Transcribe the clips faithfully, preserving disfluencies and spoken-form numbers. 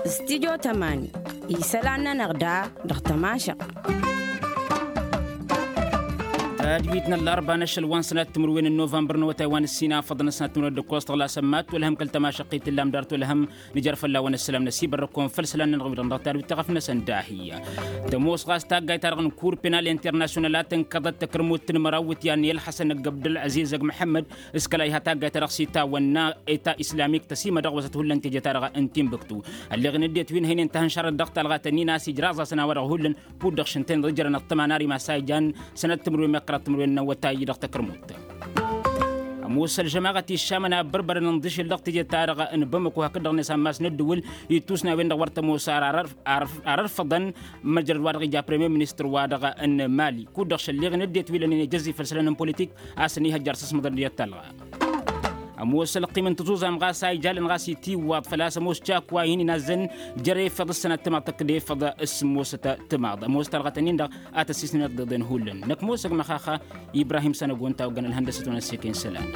Studyo tămani isălan-nănăɣ da dăɣ-tămašăɣt. Tadwit n-ăllarba n-ašăl wa n-sănat timǝrwen n-novămbăr n-awătay wa n-ǝssin afăḍăn ăsnat timǝrwen d-ǝkkoẓ tăɣlasăn ma t-wălhăm kăl-tămašăɣt i-t illa amdar t-wălhăm. Nǝjăr fălla-wăn ăssălam n-asibărrăkon făll-isălan-nănăɣ wi-dăɣ dăɣ-tadwit taɣăf-năsăn dahi. Tămoos ɣas taggayt-ta-dăɣ n-kur penal international a tǝnkăḍăt takărmut n-măraw iwǝtyan i-ălxăsăn ăgg abdăl-aziz ăgg măḥămmăd s-kăla iha taggayt-ta-dăɣ s-itawănna eta islamik tăsimădăɣwăsăt hullan teje-ta-dăɣ n-timbuktu. Ălleɣ-in ăddinăt wi n-hăynen tahǝnšarăt dăɣ-talɣa tănnin a-s ijraẓ-asăn a-wa-dăɣ hullan kud-dăɣ šǝntăneḍ ijrăn ăṭṭăma n-ar imas a ijan sănăt timǝrwen meqqărăt timǝrwen n-awătay dăɣ-takărmut. Ămoos ălžămaɣăt iššamăn a ăbbărbărăn ǝnḍǝšel dăɣ-teje-ta-dăɣ n-bamăko hakd-dăɣ-net ammas n-ăddǝwǝl ittus n-a-wen-dăɣ wăr tămoos ar ărfăḍăn. Măjrăd wa dăɣ-ija premier ministăr wa dăɣ-n mali kud-dăɣ šălleɣ-in ăddinăt wi lănen ejăzzi făll-isălan n-politik a-s ănihăjjar s-asmăḍăn d-iyyăt talɣa. Ămoos ălqim n-tăẓuẓam ɣas a ijalăn ɣas itiwwaḍ făl-a-s ămoos cakwa-in inazzăn jer-efăḍ s-sănat timaḍ tăkk-dd efăḍ s-sǝmmosăt timaḍ ămoos talɣa tăn-in-dăɣ a tăssisnănăt d-iḍen hullan năkk ămoos ăgg măxaxa. Ibrahim sănăgon ta oggăn ălhăndăsăt wa n-ăssekăy n-isălan.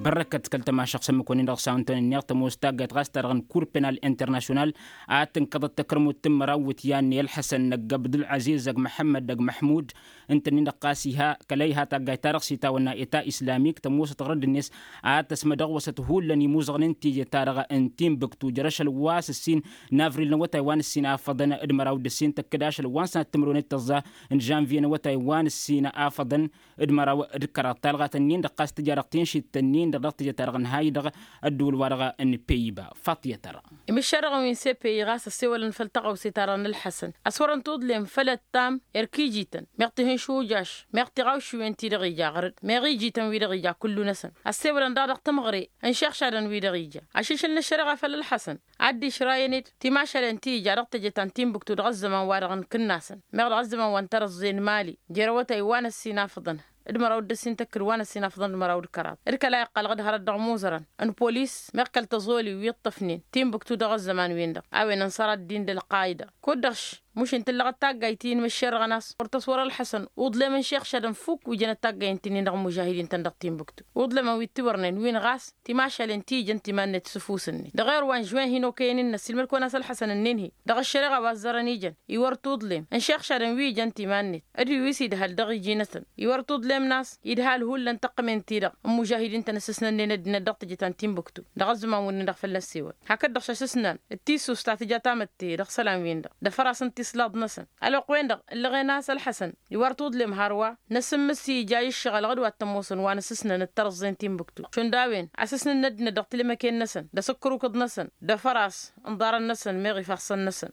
Bărrăkăt kăl-tămašăɣt s-ămmǝk-wăn-in-dăɣ s-a-wen-tăn-ǝnneɣ tămoos taggayt ɣas ta-dăɣ n-kur penal international a tǝnkăḍăt takărmut n-măraw iwǝtyan i-ălḥăsăn ăgg abdul-aziz ăgg măḥămmăd ăgg măḥmud. Ǝnta-nin-dăɣ ɣas iha kăla iha taggayt-ta-dăɣ s-itawănna eta islamik tămoosăt ɣărădd-net a tăsmădăɣwăsăt hullan imuzăɣnen teje-ta-dăɣ n-timbuktu jer-ašăl wa s-ǝssin n-avril n-awătay wa n-ǝssin afăḍăn d-măraw d-ǝssin tăkk-dd ašăl wa n-sănat timǝrwen d-tăẓẓa n-žănvye n-awătay wa n-ǝssin afăḍăn d-măraw d-kăraḍ talɣa tăn-in-dăɣ ɣas tǝja dăɣ-tinšit tăn-in-dăɣ dăɣ-tǝjăt-ta-dăɣ n-hay-dăɣ ăddǝwǝl-wa-dăɣ n-peyba. Faṭiyăt-ta-dăɣ. Imǝššerăɣăn wi n-sepeyi ɣas ăssewălăn făll-taɣăwse-ta-dăɣ n-ălḥăsăn a-s wărăn tuḍlem făll-ăttam erk ijităn meɣ tihǝnšujaš meɣ tiɣawšiwen-ti-dăɣ ija ɣărăd meɣ ijităn-wi-dăɣ ija kullu-năsăn ăssewălăn daɣ dăɣ-tămɣăre n-išixšadăn-wi-dăɣ ija ašišǝl n-ăššăreɣa făll-ălḥăsăn. Ad-dd-išrayăn-dd timašalen ti ija dăɣ-teje ta n-timbuktu dăɣ-ăzzăman wa-dăɣ n-kǝnnasăn meɣ dăɣ-ăzzăman wa n-tărăẓẓe n-mali jer-awătay wa n-ăssin afăḍăn d-măraw d-ăssin tăkkǝd wa n-ăssin afăḍăn d-măraw d-kăraḍ d-kăla iqqălăɣ d-hărăt dăɣ-imuzărăn n-polis meɣ kăl-tăẓoli wi ǝṭṭăfnen timbuktu dăɣ-ăzzăman-win-dăɣ a-wen ănṣăr ad-dd-in d-ălqayda kud-dăɣ. Mušin tǝllăɣăt taggayt-in măššerăɣăn a-s wăr tăswăr ălḥăsăn uḍlemăn šixšadăn fukk wi jănăt taggayt-in-dăɣ mužahidin-tăn dăɣ-timbuktu uḍlemăn wi t-iwărnen win ɣas timašalen ti ijăn timan-net s-ǝfus-net dăɣ-ero wa n-žwen hin-okăyăn-in-năs ilmăl-kăwăn a-s ălḥăsăn ǝnnin-hi dăɣ-ăššăreɣa wa ăzzărăn ijăn iwăr tuḍlem n-išixšadăn wi ijăn timan-net d-wi s-idhal dăɣ-iji-năsăn iwăr tuḍlem n-a-s idhal hullan tăqqămen-ti-dăɣ n-mužahidin-tăn ăssǝsnănnen ăddinăt dăɣ-teje ta n-timbuktu dăɣ-ăzzăman-win-dăɣ fălla-s ewăl hakd-dăɣ šašǝsnan d-tissust ta tǝja tamătte dăɣ-isălan-win-dăɣ d-afăras n-tislaḍ-năsăn ălwăqq-wen-dăɣ ǝllăɣen a-s ălḥăsăn iwăr tuḍlem hărwa n-asǝmmǝs ija iššăɣǝl ɣǝd wa t-ămoosăn wa n-asǝsnăn d-tărẓẓe n-timbuktu šund a-wen asǝsnăn n-ăddinăt dăɣ-tilmăken-năsăn d-asǝkkărukǝḍ-năsăn d-afăras n-iḍarăn-năsăn meɣ ifassăn-năsăn.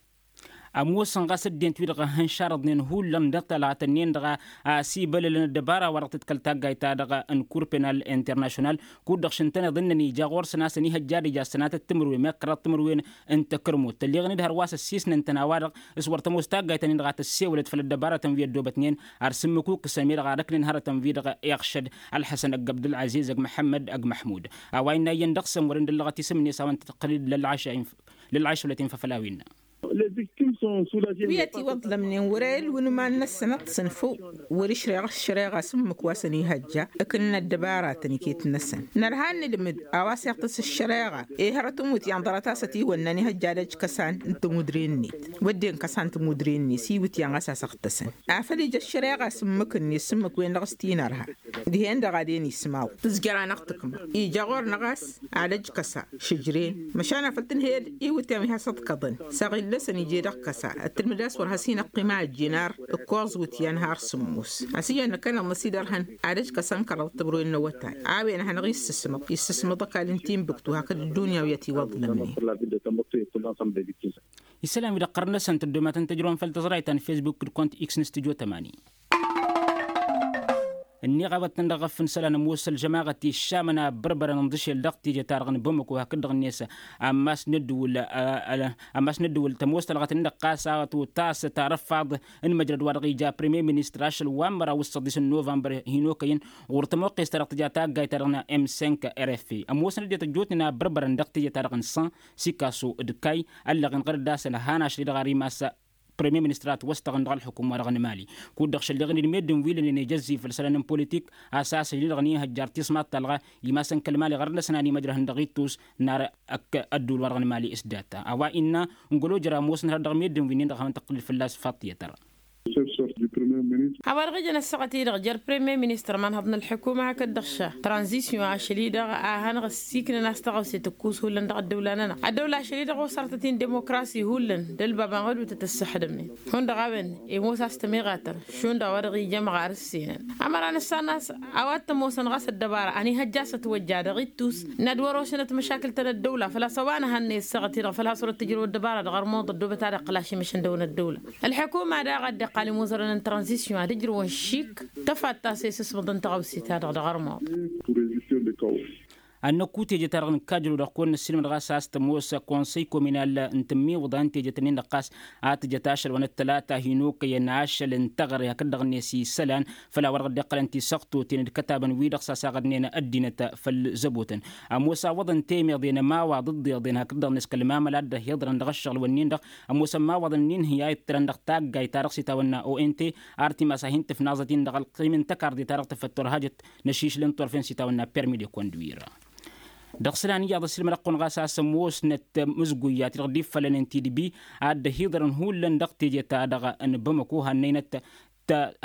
Ămoosăn ɣas ăddinăt wi-dăɣ ăhhănšarăḍnen hullan dăɣ-talɣat-ǝnnin-dăɣ a-s ibălălăn ăddăbara wa dăɣ-tǝdkăl taggayt-ta-dăɣ n-kur penal international kud-dăɣ šǝntăneḍ ǝnnăn ija ɣur-săn a-s ănihăjja ad-ija ăssănatăt timǝrwen meɣ kăraḍ timǝrwen n-takărmut tălleɣăn-dd hărwa s-ăssiisnăn-tăn a-wa-dăɣ s-wăr tămoos taggayt-nin-dăɣ a tăssewălăt făll-ăddăbarătăn wi ăddoobătnen ar sǝmmǝk ukǝsăn mi-dăɣ ad-ăknen hărătăn-wi-dăɣ iɣšăd ălḥăsăn ăgg abdul-aziz ăgg măḥămmăd ăgg măḥmud. A-wa innă iyyăn dăɣ-săn wăren d-ăllăɣăt isǝm-net a-wa n-tăqqălăd lălɣašăyăn făll-a-wi innă. Wi ătiwăḍlămnen wăr-e ălwǝnman-năsăn ad-t-sǝnfǝw wăr-išreɣ ăššăreɣa s-ǝmmǝk wa s-ănihăjja ǝkǝnnăn ăddăbaratăn iket-năsăn. Nărha ad-nǝdmǝd a-wa s-iɣtǝs ăššăreɣa i-hărăt ǝmmut i-ănḍărăt a-s ătiwănna ănihăjja ad-ăj kăsan n-tămudre-net wădden kăsan tămudre-net iwǝtyan ɣas a-s ăɣtăsăn afăl ija ăššăreɣa s-ǝmmǝk-net s-ǝmmǝk-wen-dăɣ s-tinărha. Dihen-dăɣ ad-en ismaw tǝzjăr-anăɣ tǝkma ija ɣur-năɣ a-s ad-ăj kăsa šǝjren măšan afăl tǝnhăyăd iwǝtyan wi has-ăḍkăḍăn s-aɣillăsăn ije dăɣ-kăsa ăttǝlmǝd a-s wăr has-hin-ăqqima ăjjin ar ǝkkoẓ iwǝtyan har sǝmmos. A-s iyyăn năkkăneḍ n-ăsidărhăn ad-ăj kăsa n-kăraḍ tǝbrǝwen n-awătay a-wen ad-hanăɣ-issǝsmăḍ issǝsmăḍ ăkall n-timbuktu hakd ăddunya wi ătiwăḍlămnen. Isălan wi d-ăqqărăn-năsăn tăddomatăn tăjrăwăn făll-tăẓrayt ta n-fesbuk d-kont x n-studyo tămani. Ǝnniɣ a-wa t-tăn-dăɣ-ăff n-isălan ămoos ălžămaɣăt iššamăn a ăbbărbărăn ǝnḍǝšel dăɣ-teje-ta-dăɣ n-bamăko hakd-dăɣ-net ammas n-ăddǝwǝl ammas n-ăddǝwǝl tămoos talɣăt-nin-dăɣ ɣas a wa t-otasăt arăfaḍ n-măjrăd wa dăɣ-ija premier ministăr ašăl wa n-măraw s-săḍis n-novămbăr hin-okăyăn ɣur-tămoqqes-ta-dăɣ tǝja taggayt-ta-dăɣ n-m cinq rf. Ămoosăn ăddinăt ăjjootnen a ăbbărbărăn dăɣ-teje-ta-dăɣ n-san sikaso d-kay ăllăɣen ɣărăt d-asăl han ašăl-i-dăɣ ar imas. Premyer ministăr a ătwăstăɣăn dăɣ-ălḥukum-wa-dăɣ n-mali. Kud-dăɣ šălleɣ-in d-meddǝn wi lănen ijăzzif făll-isălan n-politik a-s a-s ăjnǝdăɣ n-ihăjjar tismaḍt talɣa imasăn kăl-mali ɣărăt-năsăn a n-imăjrăhăn dăɣ-ittus n-ar ăkk ădduul-wa-dăɣ n-mali s-data a-wa innă n-gălo jăr ămoosăn hărăt dăɣ-meddǝn wi-nin-dăɣ a hawăn-tăqqǝlǝl fălla-s faḍt i-tăra. A-wa-dăɣ ija n-ăssaɣăt-i-dăɣ jer premyer ministăr imanhăḍ n-ălḥukuma hakd-dăɣ ša tranzisyon ašăl-i-dăɣ a hanăɣ-ăssiknăn a-s tăɣawse tǝkkus hullan dăɣ-ăddăwla-nănăɣ ăddăwla ašăl-i-dăɣ osărtăt-in demokrasi hullan d-ălbab anɣădutăt ăssăxdămnen hundăɣ a-wen imoos a-s tămiɣatăn šund a-wa-dăɣ ija ămɣar ǝssinăn ămăra nǝssan a-s a-wa t-ămoosăn ɣas ăddăbara ănihăjja a-s ătwăjja dăɣ-ittus n-ad-wăr-osănăt măšakǝl ta n-ăddăwla făl-a-s a-wa nǝhănnăy ăssaɣăt-i-dăɣ făl-a-s wăr-ăttǝjrăw ăddăbara dăɣ-ărmuḍ ăddoobăt ad-iqqǝl ašimǝšăn dăɣ-wăn ăddăwla. Ălḥukuma daɣ a dd-iqqal imuzărăn n-tranzisyon ad-ǝjrǝwăn šik tăfatta s-e-s ǝsmǝḍ n-taɣăwse-ta-dăɣ dăɣ-ărmuḍ. Ănnăkku teje-ta-dăɣ nǝkkajrăw-dăɣ kăwăn-nǝssilmăd ɣas a-s tămoos konsăy kominal n-tǝmmiwǝḍa n-teje-tăn-in-dăɣ ɣas a tǝjăt ašăl wa n-ăttălata hin-okăyăn ašăl n-teɣăre hakd-dăɣ-net isălan făll-a-wa dăɣ-dd-iqqălăn tisăɣtoten d-kătabăn-wi-dăɣ s-a-s aɣădnen ăddinăt făll-zăbotăn. Ămoos a wăḍăn temeḍen ămawaḍ ǝḍḍeḍen hakd-dăɣ-net kăl-mamăl a dd-ăhiḍărăn dăɣ-ăššăɣǝl-wǝnnin-dăɣ ămoos ămawaḍăn n-inhǝy a ittărăn dăɣ-taggayt-ta-dăɣ s-itawănna ont ar timas a hin-tǝfnaẓăt-in dăɣ-ălqim n-tăkarḍe-ta-dăɣ tăfăttăwăr hajăt n-ašišǝl n-turfen s-itawănna permi de conduir. Dăɣ-isălan iyyăḍ ăsilmăd-ăqqun ɣas a-s ămoosnăt mǝzguyyat-i-dăɣ dd-iffălănen tidbi a dd-ăhiḍărăn hullan dăɣ-teje-ta-dăɣ n-bamăko hannăynăt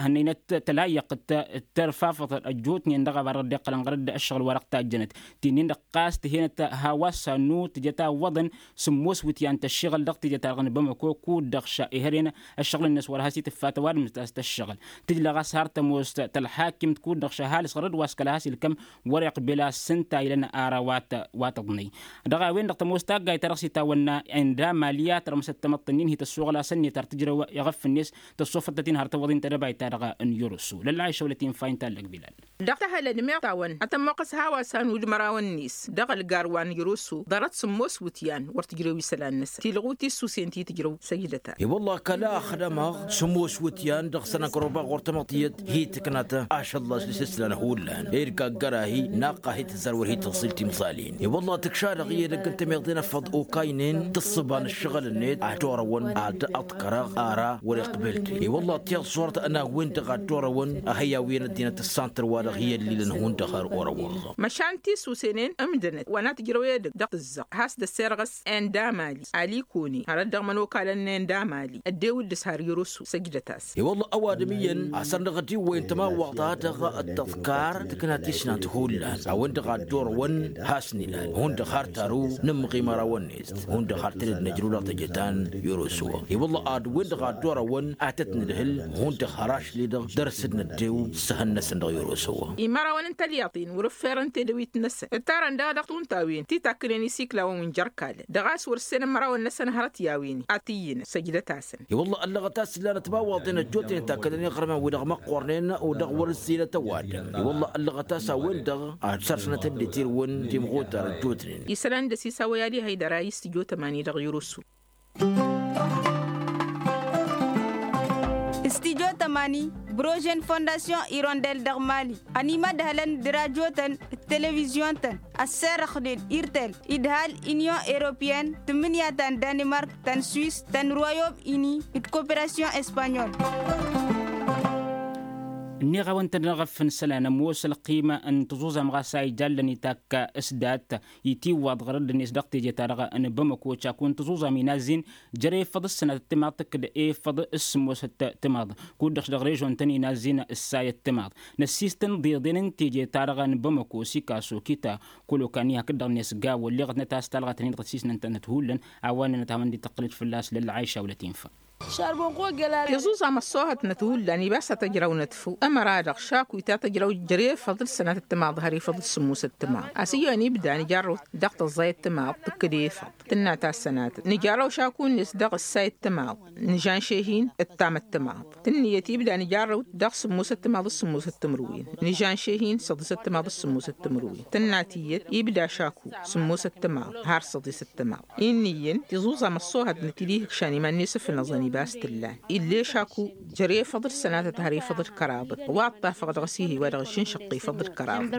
hannăynăt tălayyăq d-tărfafăḍ ăjjootnen dăɣ-a-wa dăɣ-dd-iqqălăn ɣărăt d-ăššăɣǝl wa dăɣ-tajjănăt ti-nin-dăɣ ɣas tǝhenăt hawa s-annu tǝjăt a ǝwwăḍăn sǝmmos wǝtyan tăššiɣăl dăɣ-teje-ta-dăɣ n-bamăko kud-dăɣ ša ihăren ăššăɣǝl-net wăr has-itǝffa tăwadǝmt a-s tăššăɣǝl tǝjla ɣas har tămoos tălḥakimt kud-dăɣ ša ăhalǝs ɣărăt wa s-kăla has-ilkăm wăr-iqbel a-s ǝnta a ilăn ara wa tăḍnăy. Dăɣ-a-wen-dăɣ tămoos taggayt-ta-dăɣ s-itawănna enda mali a tărmǝsăt tamăḍt-ǝnnin hi-tăssuɣǝl a-s ǝnniyăt ar tǝjrăw iɣăf-net tăssofăttăt-in har tăwwăḍ-in tedăbayt-ta-dăɣ n-yărusu lălla išăwlăt-in fayǝn tallăg bilal. Dăɣ-tahălăd meɣ tawăn ad-tăn-moqqăs hawa s-anwǝd mărawăn-net dăɣ-ălgar wa n-yărusu ḍarăt sǝmmos wǝtyan wăr tǝjrew isălan-năsăn tilɣu tissusen ti tǝjrăw săjdăt-as. I-wălla kăla ăxdămăɣ sǝmmos wǝtyan dăɣ-săn ăkrăwbaɣ ɣur-tamăḍt tiyyăt hi-tǝknat ašăl-las n-isǝslan hullan ed gaggăr-ahi naqqah hi-tǝzzar wăr hi-tǝẓẓil timẓalin. I-wălla tǝkša dăɣ-i edăgg n-tămiḍe n-efăḍ okaynen tǝssǝba n-ǝššăɣǝl-net ad-orăwăn ad-ăḍkărăɣ ara wăr-iqbel-t. I-wălla tiyyăḍ s-orăt n-a-wen-dăɣ ad-orăwăn ăhăy a-wen ăddinăt ǝssan tărwa dăɣ-hi-ăllilăn hundăɣ har orăwăn. Măšan tissusen n-ǝmdănăt wa n-ad-tǝjrăw edăgg dăɣ-tǝzzăɣt has-dd-ăssirɣăs enda mali alikone hărăt dăɣ-imănokalăn n-enda mali ăddew dd-s har yăroso săjdăt-as. I-wălla ăwadǝm iyyăn a-s ărnăɣ ădiwwăyăn tămawwaḍt-a-dăɣ d-tăḍkar tǝkna tisnant hullan a-wen-dăɣ a dd-orăwăn has-nilal hundăɣ har taru nǝmmăɣ imărawăn-net hundăɣ har tăned n-ăjrăw dăɣ-teje ta n-yăroso. I-wălla ad-wen-dăɣ a dd-orăwăn ad-tăt-nǝdhǝl hundăɣ har ašli-dăɣ dăr-s dd-năddew s-ehăn-năsăn dăɣ-yăroso. Imărawăn n-talyaḍt-in wăr-ǝffirăn tedăwit-năsăn ǝttarăn daɣ dăɣ-tuntawen ti takkǝnen isiklawăn wi n-jerkalăn dăɣ-a-s wăr-ǝssenăn imărawăn-năsăn hărăt i-a-wen ad-t-iyyǝnăn săjdăt-asăn. I-wălla ăllăɣăt a-s ǝllanăt tămawwaḍen ăjjootnen takkădăn iɣrǝman-wi-dăɣ măqqoornen u-dăɣ wăr-ǝzzilăt ăwadǝm. I-wălla ăllăɣăt a-s a-wen-dăɣ ad-sărsănăt ăddinăt irwǝn timɣutar ăjjootnen. Isălan d-ăsisawăy ali haydăra i-s tijot ămani dăɣ-yărusu. Studio tămani brožen fondasyon irondel dăɣ-mali ănimădhălăn d-rajotăn d-televizyon-tăn ăsserăxnen irtel idhal inyon europeyăn tǝmmǝnǝya ta n-danimark ta n-swis ta n-royom ini d-koperasyon espanyol. Ǝnniɣ-awăn-tăn-dăɣ ăffǝn isălan ămoos ălqima n-tăẓuẓam ɣas a ijallăn itakka s-dat itiwwaḍ ɣărădd-net dăɣ-teje-ta-dăɣ n-bamăko caku n-tăẓuẓam inazzin jer-efăḍ s-sănatăt timaḍt d-efăḍ s-sǝmmosăt timaḍ kud-dăɣ dăɣ-režon-tăn inazzin ǝssayăt timaḍ. Năssiistăn ḍeḍen n-teje-ta-dăɣ n-bamăko sikaso kita kolokani hakd-dăɣ-net gawo ǝlleɣătnăt a-s talɣa tăn-in-dăɣ ăssiisnăn-tănăt hullan a-wa ǝnnănăt a-wen-dd-tăqqǝlăt fălla-s lălla aisha wălăt infa. Tiẓuẓam ăṣṣoohătnăt hullan ibas a tăjrăwnăt făw ămăra-dăɣ šaku i-ta tăjrăw jer-efăḍ d-sănatăt timaḍ har efăḍ d-sǝmmosăt timaḍ a-s iyyăn ibda nǝjarrăw dăɣ-tăẓẓayăt timaḍ tǝkkǝd efăḍ tǝnna ta s-sănatăt nǝjarrăw šaku-net dăɣ-ǝssayăt timaḍ nǝžžan šehin d-tamăt timaḍ tǝnniyăt ibda nǝjarrăw dăɣ-sǝmmosăt timaḍ d-sǝmmosăt timǝrwen nǝžžan šehin săḍisăt timaḍ d-sǝmmosăt timǝrwen tǝnna tiyyăt ibda šaku sǝmmosăt timaḍ har săḍisăt timaḍ. Innă iyyăn tiẓuẓam ăṣṣoohătnăt-dd ihǝkšan iman-net ǝfnăẓăn ibas t-ǝllan ill'-e šaku jer-efăḍ d-sănatăt har efăḍ d-kăraḍăt wa ăṭṭafăɣ dăɣ-s ihi wa dăɣ-išǝnšăɣ efăḍ d-kăraḍăt.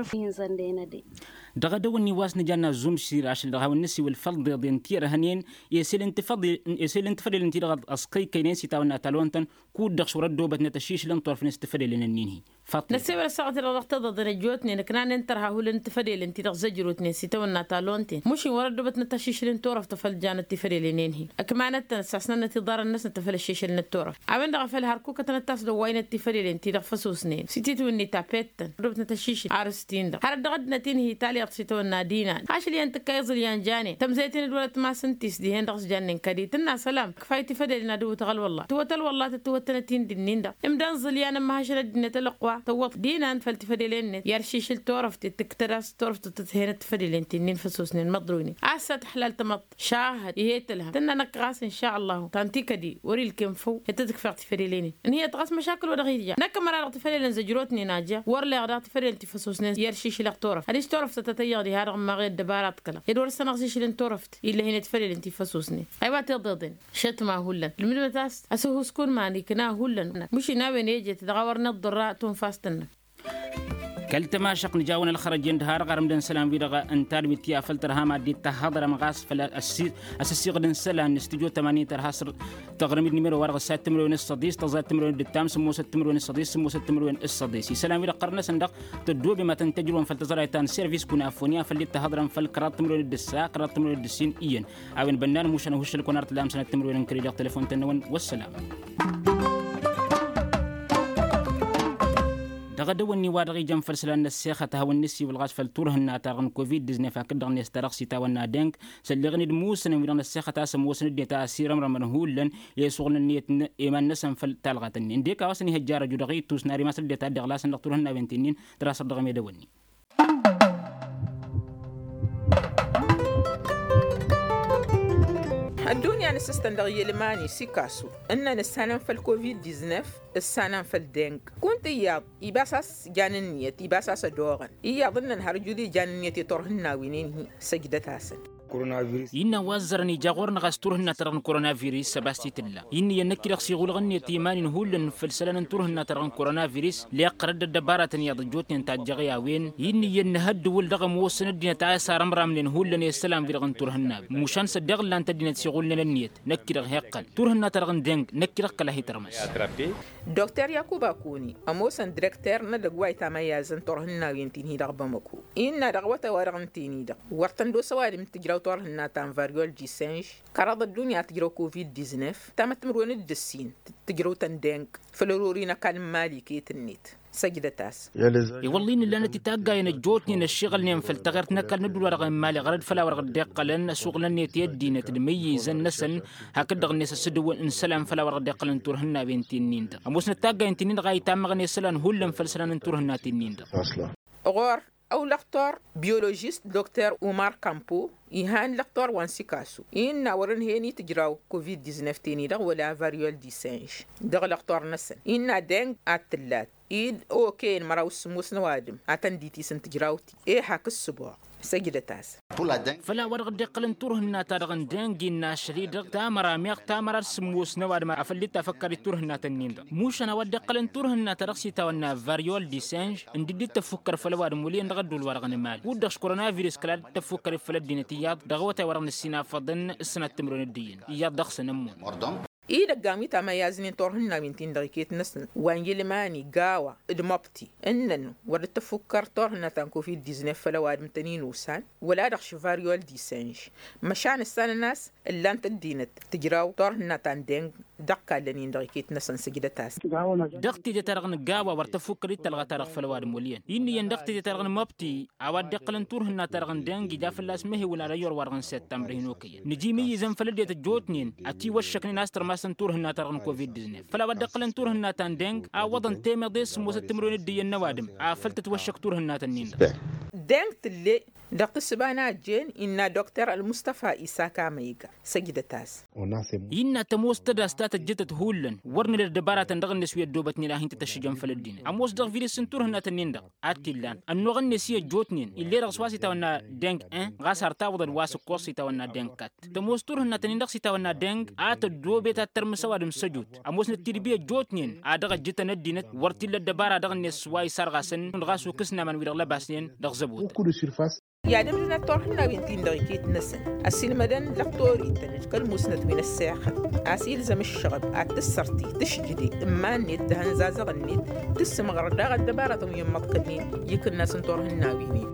Dăɣ-edăwănni wa s-nǝjanna zumsir ašăl dăɣ-hawăn-nǝsiwǝl făll-iḍeḍen ti ărhănen, esel n-tǝfăḍe esel n-tǝfăḍelăn-ti-dăɣ ăẓkăykkăynen s-itawănna talonten kud-dăɣ šurăt dobătnăt ašišǝlăn torfnen s-tǝfădelăn-nin-hi. Năssewăl ăssaɣăt-i-dăɣ dăɣ-tiḍeḍen ăjjootnen ǝknanăn tărha hulăn n-tǝfădelăn-ti-dăɣ zăjrotnen s-itawănna talonten mušin wăr-ăddobătnăt ašišǝl n-torăft făll-janăt tifădelăn-en-hi. Ǝkmanăt-tăn ăssasnănăt iḍarrăn-năsnăt făll-ašišǝl n-torăft a-wen-dăɣ a făl hărkukătăn ăttas d-ăwwaynet tifădelăn-ti-dăɣ făsusnen s-ititwǝnni tapet-tăn ăddobătnăt ašišǝl ar s-tin-dăɣ hărăt dăɣ-ăddinăt-in-hi taliɣt s-itawănna d-inan ašăl iyyăn tǝkkay iẓǝlyan janen tămzăyten d-wăr-ătmasăn-t-is dihen-dăɣ s-jannen kădi tǝnna sălam. Kfay tifădelăn ad-ǝwwǝt ăɣălwălla tǝwwăt ălwălla tăt-tǝwwăttănăt-in d-ǝnnin-dăɣ imdan iẓǝlyan ămmăhăšăn ăddinăt ălăqwa tăwwăḍ d-inan făll-tifădelen-net i-ăršišǝl torăft-i tǝktăd a-s torăft tǝthăyănăt tifădelen ti-nin făsosnen măḍruynen. A-s a tǝḥlal tamăḍt šahăd ih'-e tǝlhăm tǝnna năkk ɣas n-šalla ta n-tikădi wăr-ilkem făw i-tăt-ǝkfeɣ tifădelen-in. Ǝnhǝyăt ɣas măšakǝl wa dăɣ-ija năkk ămăra dăɣ-tifădelen zăjrotnen a ja wăr leɣ daɣ tifădelen ti făsosnen i-ăršišǝlăɣ torăft ad-iš torăft tăt-tăyyăɣ diha-dăɣ ǝmmaɣ i-ăddăbara a t-kălăɣ ed wăr-săn ăɣšǝšǝl n-torăft ill'-e hin-e tifădelen ti făsosnen. Aywa tiḍeḍen šăt ma hullan ǝlmǝdmăt a-s asǝhhusku n-iman ikna hullan. Mušin a-wen ejet dăɣ-a wăr nǝḍḍărra tunfast-năk. Kăl-tămašăq nǝja-wăn ălxărăj-en d-ha-dăɣ arǝmdăn isălan-wi-dăɣ n-tadwit ti afăl tărha mad-dd-tahhăḍrăm ɣas făll-asǝssiɣǝd n-isălan n-studyo tămani tărha s-tăɣrǝm-dd nimero-wa-dăɣ ǝssa timǝrwen s-săḍis tăẓẓa timǝrwen d-ǝttam sǝmmosăt timǝrwen s-săḍis sǝmmosăt timǝrwen s-săḍis isălan-wi-dăɣ ɣărnăsăn-dăɣ tăddoobem ad-tăn-tăjrǝwăm făll-tăẓrayt ta n-servis kunafoni afăl dd-tahhăḍrăm făll-kăraḍ timǝrwen d-ǝssa kăraḍ timǝrwen d-ǝssin iyyăn. A-wen bănnan mušan ăhuššăl-kăwăn ar t-lamsănăt timǝrwen n-kăre dăɣ-telăfon-tăn-năwăn. Wăssălam. Dăɣ-edăwănni wa dăɣ-ijăn făll-isălan n-ăssexăt a hawăn-nǝsiwǝl ɣas făll-turhǝnna-ta-dăɣ n-covid-diznef hakd-dăɣ-net ta dăɣ-s itawănna deng sălleɣăn-dd musănăn wi-dăɣ n-ăssexăt a-s ămoosăn ăddinăt a ăsirămrămăn hullan i-asuɣǝlăn ǝnniyăt n-iman-năsăn făll-talɣat-ǝnnin d-e-kaw a-s ănihăjja arăju dăɣ-itus n-ar imas ăddinăt a dd-iɣlasăn dăɣ-turhǝnnawen ti-nin. Tărasăr dăɣ-emedăwănni. Ăddunya n-asǝstăn dăɣ-yelmani sikasu ǝnnăn ǝssanăn făll-covid-diznef ǝssanăn făll-deng. Kunta iyyăḍ ibas a-s jan ǝnniyăt ibas a-s ădoɣăn iyyăḍ ǝnnăn har ǝjud ijan ǝnniyăt i-turhǝnnawen-in-hi. Săjdăt-asăn. Innă wa ăzzărăn ija ɣur-năɣ a-s turhǝnna-ta-dăɣ n-koronavirus săba s-t-tǝlla. Innă iyyăn năkk-i-dăɣ s-iɣulɣăn-net iman-in hullan făll-isălan n-turhǝnna-ta-dăɣ n-koronavirus leɣ qărăt d-ăddăbaratăn iyyăḍ ăjjootnen tajjăɣ i-a-wen. Innă iyyăn nǝhăddǝwǝl dăɣ-ămoosăn ăddinăt a s-arămramnen hullan i-isălan-wi-dăɣ n-turhǝnna mušan s-ăddiɣ ǝllan-t ăddinăt s-iɣulnen ǝnniyăt. Năkk-i-dăɣ heqqăn turhǝnna-ta-dăɣ n-deng năkk-i-dăɣ kăla hi-tărmăs. Dokter yakuba kuni ămoosăn direkter n-edăgg wa itamayyazăn turhǝnnawen ti-hi dăɣ-bamăko innă dăɣ-awătay-wa-dăɣ ǝnta-en-i-dăɣ wăr tăn-dd-osa ăwadǝm n-tǝjraw turhǝnna ta n-variol disenž. Kăraḍ ăddunya tǝjraw covid-diznef tamăttǝmǝrwen d-ǝssin tǝjrăw-tăn deng. Făll-ărori n-ăkall n-imali iket-net. Săjdăt-as. I-wălla-i nǝllanăt i-taggayăn ăjjootnen ăššiɣǝlnen făll-taɣert n-ăkall n-ădduul-wa-dăɣ n-imali ɣărăd făll-a-wa-dăɣ dd-iqqălăn ăsuɣǝlăn-net i-ăddinăt d-imǝyyǝzăn-năsăn. Hakd-dăɣ-net ăsǝdǝwǝl n-isălan făll-a-wa-dăɣ dd-iqqălăn turhǝnnawen ti-nin-dăɣ ămoosnăt taggayăn-ti-nin-dăɣ a itammăɣăn i-isălan hullan făll-isălan n-turhǝnna ti-nin-dăɣ. Ɣur-ăw lăqtor biyolozist dokter umar kampo ihan lăqtor wa n-sikasu innă wăr-ǝnhăyăn i-tǝjraw covid-diznef ten-i-dăɣ wăla variol disenž. Dăɣ-lăqtor-năsăn innă deng ad-tǝllat id okăyăn măraw s-sǝmmos n-ăwadǝm ad-tăn-dd-itis n-tǝjraw-ti. E hak ǝssǝboɣ. Săjdăt-as. Făll-a-wa dăɣ-dd-iqqălăn turhǝnna-ta-dăɣ n-deng innă ašăl-i-dăɣ tamăra meɣ tamăra d-sǝmmos n-ăwadǝm afăl dd-tafăkkăr i-turhǝnnat-ǝnnin-dăɣ mušan a-wa dd-iqqălăn turhǝnna-ta-dăɣ s-itawănna variol disenž. Ǝndi dd-tăffukkăr făll-ăwadǝm wăl' iyyăn dăɣ-ădduul-wa-dăɣ n-imali kud-dăɣ s-koronavirus kăla dd-tăffukkăr i-făll-ăddinăt iyyăḍ dăɣ-awătay-wa-dăɣ n-ǝssin afăḍăn. Ǝssănat timǝrwen d-iyyăn iyyăḍ dăɣ-săn ămmun. Idăggan wi tamayyaznen turhǝnnawen-tin-dăɣ iket-năsăn wa n-yilmani gawa d-măbti ǝnnăn wăr dd-tăffukkăr turhǝnna ta n-covid-diznef făll-ăwadǝm tăn-in-usan wăla dăɣ-švariol disenž. Măšan ǝssanăn a-s ǝllan-t ăddinăt tǝjraw turhǝnna ta n-deng dăɣ-kallăn-in-dăɣ iket-năsăn sǝjdăt-as. Dăɣ-teje-ta-dăɣ n-gawa wăr tăffukkăr i-talɣa-ta-dăɣ făll-ăwadǝm wăl' iyyăn innă iyyăn dăɣ-teje-ta-dăɣ n-măbti a-wa dd-iqqălăn turhǝnna-ta-dăɣ n-deng ija fălla-s mehewǝl ad-ăyyăr wa-dăɣ n-săttamr hin-okăyăn nǝji imǝyyǝzăn făll-ăddinăt ăjjootnen ătiwăššăknen a-s tărmasăn turhǝnna-ta-dăɣ n-covid-diznef făll-a-wa dd-iqqălăn turhǝnna ta n-deng. Awwăḍăn temeḍe s-sǝmmosăt timǝrwen d-iyyăn n-ăwadǝm afăl tătwăššăk turhǝnnat-ǝnnin-dăɣ. Deng tǝlle dăɣ-tǝssǝba n-a ăjjeen innă dokter ălmustăfa isaka măyga. Săjdăt-as. Innă tămoos tădas ta tăjjătăt hullan wăr nǝla ăddăbaratăn dăɣ-net wi ăddoobătnen a hin-tăt-ăššǝjăn făll-ăddinăt ămoos dăɣ-virǝs n-turhǝnnat-ǝnnin-dăɣ. Ad-t-illan ănnuɣ-net i-ăjjootnen ill'-e-dăɣ s-wa s-itawănna deng-en ɣas har tawăḍăd wa s-ǝkkoẓ s-itawănna deng-kat. Tămoos turhǝnnat-ǝnnin-dăɣ s-itawănna deng a tăddoobet ad-tărmǝs ăwadǝm s-ăjut. Ămoosnăt tidbi ăjjootnen a dăɣ-ăjjǝtăn ăddinăt wăr t-illa ăddăbara dăɣ-net s-wa isarɣasăn ɣas ukǝsna iman-wi-dăɣ lăbasnen dăɣ-zăbotăn. I-ad-ǝmdǝnăt turhǝnnawen-tin-dăɣ iket-năsăn ăsilmădăn dăɣ-torităn d-kăl-musnăt wi n-ăssexăt a-s ilzăm ǝššăɣăb ad-tǝssărti tǝšjǝde n-iman-net d-ihănzazăɣ-net. Tǝssǝmɣăr daɣ ăddăbarătăn wi n-imǝḍkălnen i-ikǝnnas n-turhǝnnawen-in.